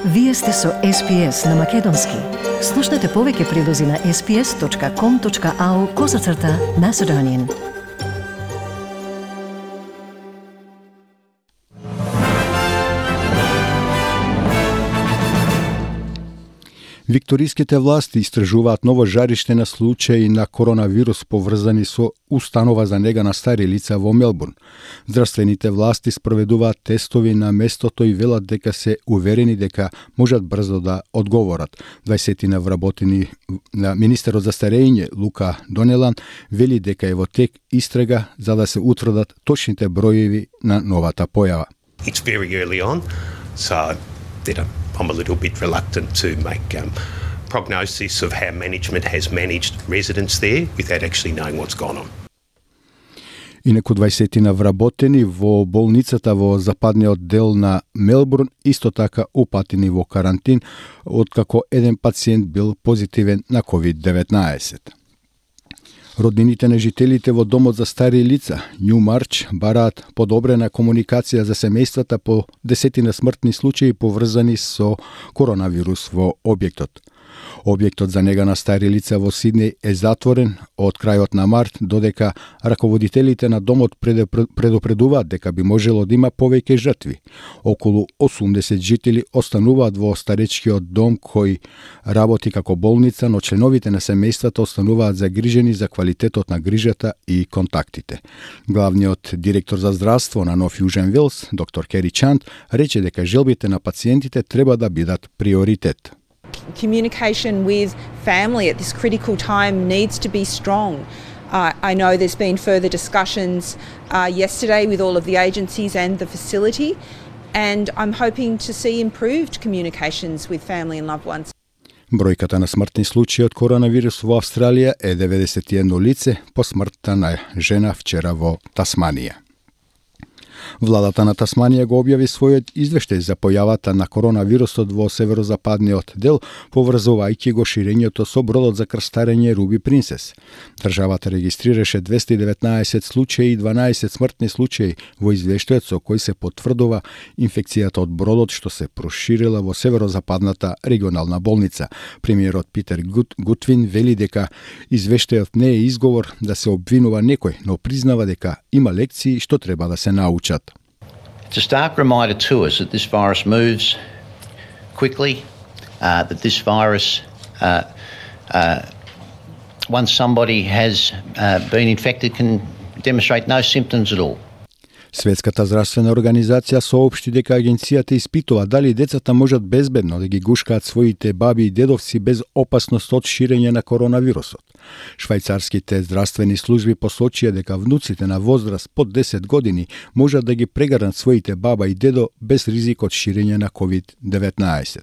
Вие сте со SPS на Македонски. Слушнете повеќе прилози на sps.com.au/Macedonian. Викториските власти истражуваат ново жариште на случаи на коронавирус поврзани со установа за нега на стари лица во Мелбурн. Здравствените власти спроведуваат тестови на местото и велат дека се уверени дека можат брзо да одговорат. 20 вработени на министерот за старење Лука Донелан вели дека е во тек истрага за да се утврдат точните броеви на новата појава. It's very early on, so I'm a little bit reluctant to make prognosis of how management has managed residents there without actually knowing what's gone on. Инаку 20 вработени во болницата во западниот дел на Мелбурн исто така упатени во карантин, откако еден пациент бил позитивен на COVID-19. Роднините на жителите во домот за стари лица, Нјумарч, бараат подобрена комуникација за семејствата по 10 смртни случаи поврзани со коронавирус во објектот. Објектот за нега на стари лица во Сиднеј е затворен од крајот на март, додека раководителите на домот предупредуваат дека би можело да има повеќе жртви. Околу 80 жители остануваат во старечкиот дом кој работи како болница, но членовите на семејствата остануваат загрижени за квалитетот на грижата и контактите. Главниот директор за здравство на Нов Јужен Велс, доктор Кери Чант, рече дека желбите на пациентите треба да бидат приоритет. Communication with family at this critical time needs to be strong. I know there's been further discussions yesterday with all of the agencies and the facility, and I'm hoping to see improved communications with family and loved ones. Бројката на смртни случаи од коронавирус во Австралија е 91 лице по смртта на жена вчера во Тасманија. Владата на Тасманија го објави својот извештај за појавата на коронавирусот во северозападниот дел, поврзувајќи го ширењето со бродот за крстарење Руби Принцес. Државата регистрираше 219 случаи и 12 смртни случаи во извештајот со кој се потврдува инфекцијата од бродот што се проширила во северозападната регионална болница. Премиерот Питер Гутвин вели дека извештајот не е изговор да се обвинува некој, но признава дека има лекции што треба да се научат. It's a stark reminder to us that this virus moves quickly, that this virus, once somebody has been infected, can demonstrate no symptoms at all. Светската здравствена организација соопшти дека агенцијата испитува дали децата можат безбедно да ги гушкаат своите баби и дедовци без опасност од ширење на коронавирусот. Швајцарските здравствени служби посочија дека внуците на возраст под 10 години можат да ги прегарнат своите баба и дедо без ризик од ширење на COVID-19.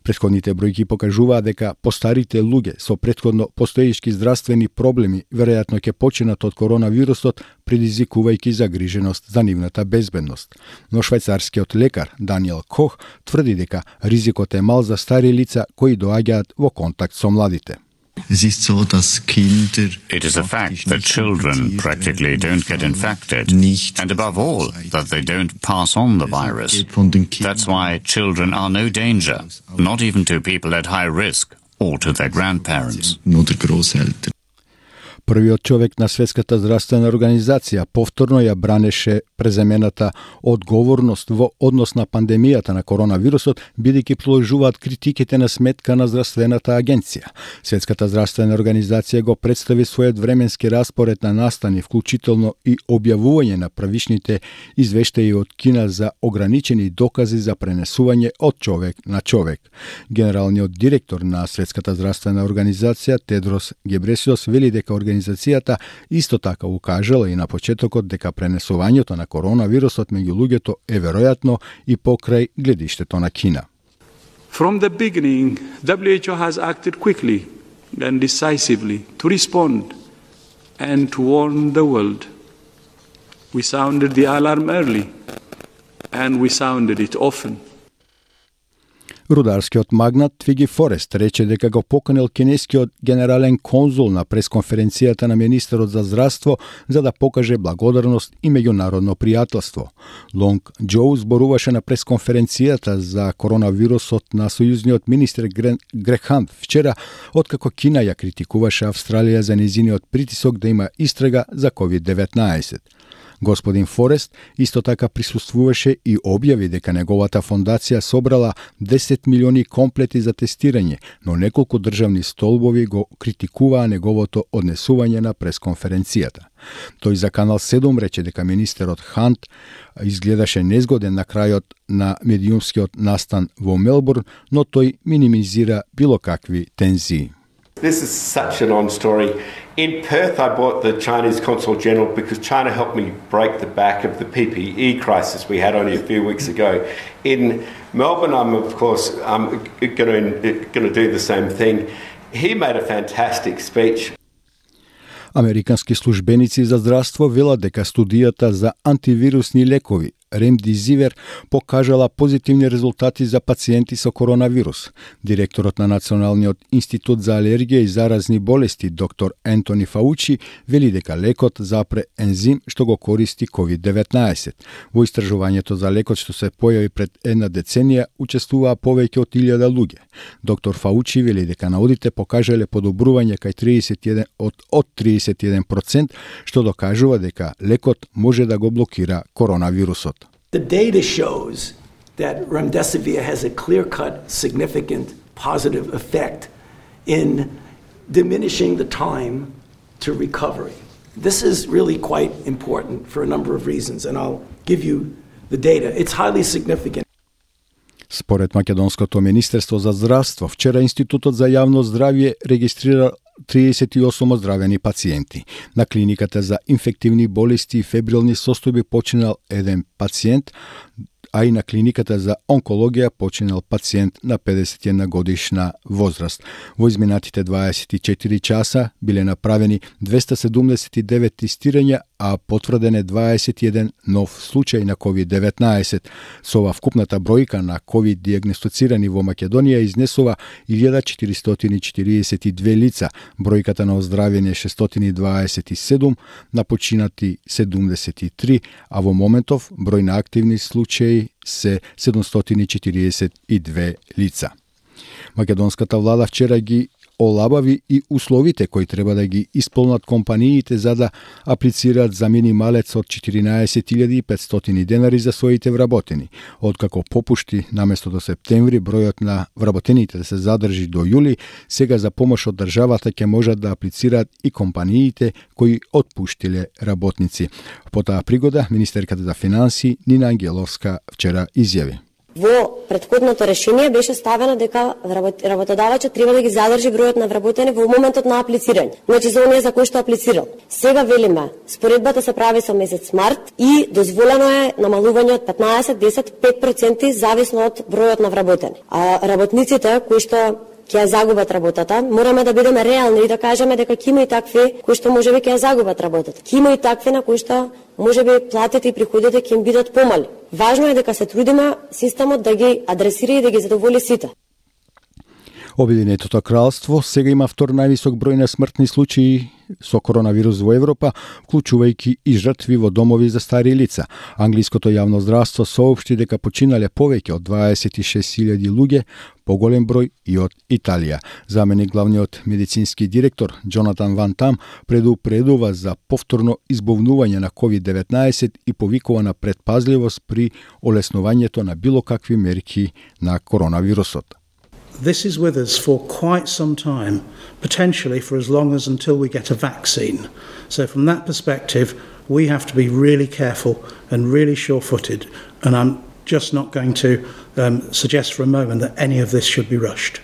Претходните бројки покажуваат дека постарите луѓе со претходно постоечки здравствени проблеми веројатно ќе починат од коронавирусот, предизвикувајќи загриженост за нивната безбедност. Но швајцарскиот лекар Даниел Кох тврди дека ризикот е мал за стари лица кои доаѓаат во контакт со младите. It is a fact that children practically don't get infected, and above all, that they don't pass on the virus. That's why children are no danger, not even to people at high risk or to their grandparents. Првиот човек на Светската здравствена организација повторно ја бранеше преземената одговорност во однос на пандемијата на коронавирусот, бидејќи продолжуваат критиките на сметка на здравствената агенција. Светската здравствена организација го представи својот временски распоред на настани, вклучително и објавување на правишните извештаи од Кина за ограничени докази за пренесување од човек на човек. Генералниот директор на Светската здравствена организација Тедрос Гебресиос вели дека организацијата исто така укажала и на почетокот дека пренесувањето на коронавирусот меѓу луѓето е веројатно и покрај гледиштето на Кина. From the beginning, WHO has acted quickly and decisively to respond and to warn the world. We sounded the alarm early and we sounded it often. Рударскиот магнат Твиги Форест рече дека го поканил кинескиот генерален конзул на пресконференцијата на министерот за здравство за да покаже благодарност и меѓународно пријателство. Лонг Џоу зборуваше на пресконференцијата за коронавирусот на сојузниот министер Грег Хант вчера, откако Кина ја критикуваше Австралија за нејзиниот притисок да има истрага за COVID-19. Господин Форест исто така присуствуваше и објави дека неговата фондација собрала 10 милиони комплети за тестирање, но неколку државни столбови го критикуваа неговото однесување на пресконференцијата. Тој за Канал 7 рече дека министерот Хант изгледаше незгоден на крајот на медиумскиот настан во Мелбурн, но тој минимизира било какви тензии. This is such an on story. In Perth, I bought the Chinese Consul General because China helped me break the back of the PPE crisis we had only a few weeks ago. In Melbourne, I'm of course going to do the same thing. He made a fantastic speech. Американски службеници за здравство велат дека студијата за антивирусни лекови Ремдизивер покажала позитивни резултати за пациенти со коронавирус. Директорот на Националниот институт за алергија и заразни болести доктор Ентони Фаучи вели дека лекот запре ензим што го користи COVID-19. Во истражувањето за лекот што се појави пред една деценија учествуваа повеќе од 1000 луѓе. Доктор Фаучи вели дека наудите покажале подобрување кај 31%, што докажува дека лекот може да го блокира коронавирусот. The data shows that remdesivir has a clear-cut, significant positive effect in diminishing the time to recovery. This is really quite important for a number of reasons, and I'll give you the data. It's highly significant. Според Македонското министерство за здравство, вчера Институтот за јавно здравје регистрира 38 оздравени пациенти. На клиниката за инфективни болести и фебрилни состојби починал еден пациент, а и на клиниката за онкологија починал пациент на 51 годишна возраст. Во изминатите 24 часа биле направени 279 тестирања, а потврден е 21 нов случај на COVID-19. Со ова вкупната бројка на COVID диагностицирани во Македонија изнесува 1442 лица, бројката на оздравени 627, на починати 73, а во моментов број на активни случаи се 742 лица. Македонската влада вчера ги олабави и условите кои треба да ги исполнат компаниите за да аплицираат за минималец од 14.500 денари за своите вработени. Откако попушти наместо до септември бројот на вработените да се задржи до јули, сега за помош од државата ќе можат да аплицираат и компаниите кои отпуштиле работници. По таа пригода, министерката за финансии Нина Ангеловска вчера изјави: Во претходното решение беше ставено дека работодавачот треба да ги задржи бројот на вработени во моментот на аплицирање. Значи за оние за кои што аплицирал. Сега велиме, споредбата се прави со месец март и дозволено е намалување од 15, 10, 5% зависно од бројот на вработени. А работниците кои што ќе загубат работата, мораме да бидеме реални и да кажеме дека ќе има и такви кои што можеби ќе загубат работата. Ќе има и такви на кои што можеби платите и приходите ќе им бидат помали. Важно е дека се трудиме системот да ги адресира и да ги задоволи сите. Обединетото кралство сега има втор највисок број на смртни случаи со коронавирус во Европа, вклучувајќи и жртви во домови за стари лица. Англиското јавно здравство соопшти дека починале повеќе од 26.000 луѓе, поголем број и од Италија. Заменик главниот медицински директор Джонатан Ван Там предупредува за повторно избовнување на COVID-19 и повикува на предпазливост при олеснувањето на било какви мерки на коронавирусот. This is with us for quite some time, potentially for as long as until we get a vaccine. So from that perspective, we have to be really careful and really sure-footed, and I'm just not going to suggest for a moment that any of this should be rushed.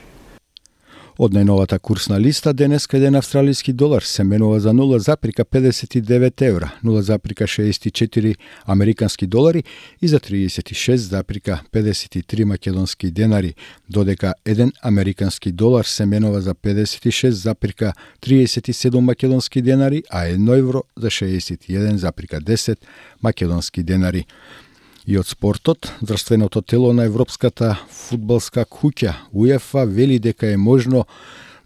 Од најновата курсна листа, денеска еден австралиски долар се менува за 0,59 евра, 0,64 американски долари и за 36,53 македонски денари, додека еден американски долар се менува за 56,37 македонски денари, а 1 евро за 61,10 македонски денари. И од спортот, здравственото тело на Европската фудбалска куќа УЕФА вели дека е можно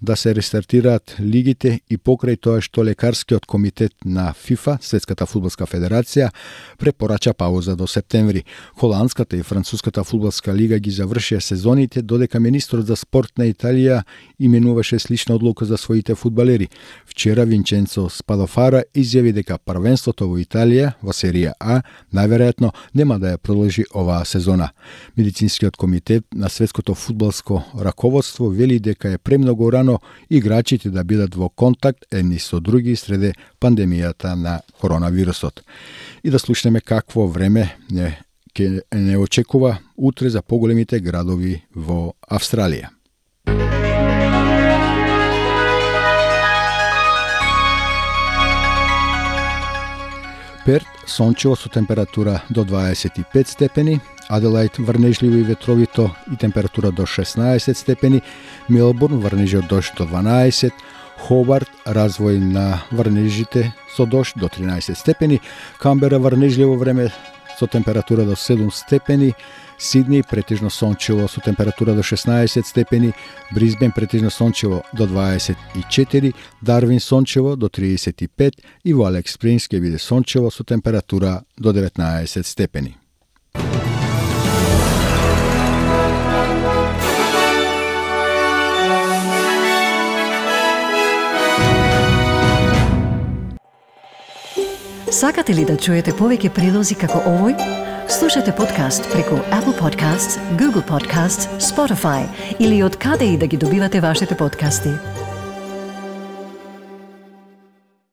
да се рестартираат лигите и покрај тоа што лекарскиот комитет на ФИФА, Светската фудбалска федерација, препорача пауза до септември. Холандската и Француската фудбалска лига ги завршија сезоните, додека министрот за спорт на Италија именуваше слична одлука за своите фудбалери. Вчера Винченцо Спадофара изјави дека првенството во Италија, во серија А, најверојатно нема да ја продолжи оваа сезона. Медицинскиот комитет на Светското фудбалско раководство вели дека е премногу рано играчите да бидат во контакт едни со други среде пандемијата на коронавирусот. И да слушнеме какво време не очекува утре за поголемите градови во Австралија. Перт сончево со температура до 25 степени, Аделајд врнежливо и ветровито и температура до 16 степени, Мелбурн врнежи од дожд до 12, Хобарт развој на врнежите со дожд до 13 степени, Камбера врнежливо време со температура до 7 степени, Сидни претежно сончево со температура до 16 степени, Брисбен претежно сончево до 24, Дарвин сончево до 35 и во Алекс Спрингс ќе биде сончево со температура до 19 степени. Сакате ли да чуете повеќе прилози како овој? Слушате подкаст преку Apple Podcasts, Google Podcasts, Spotify или од каде и да ги добивате вашите подкасти.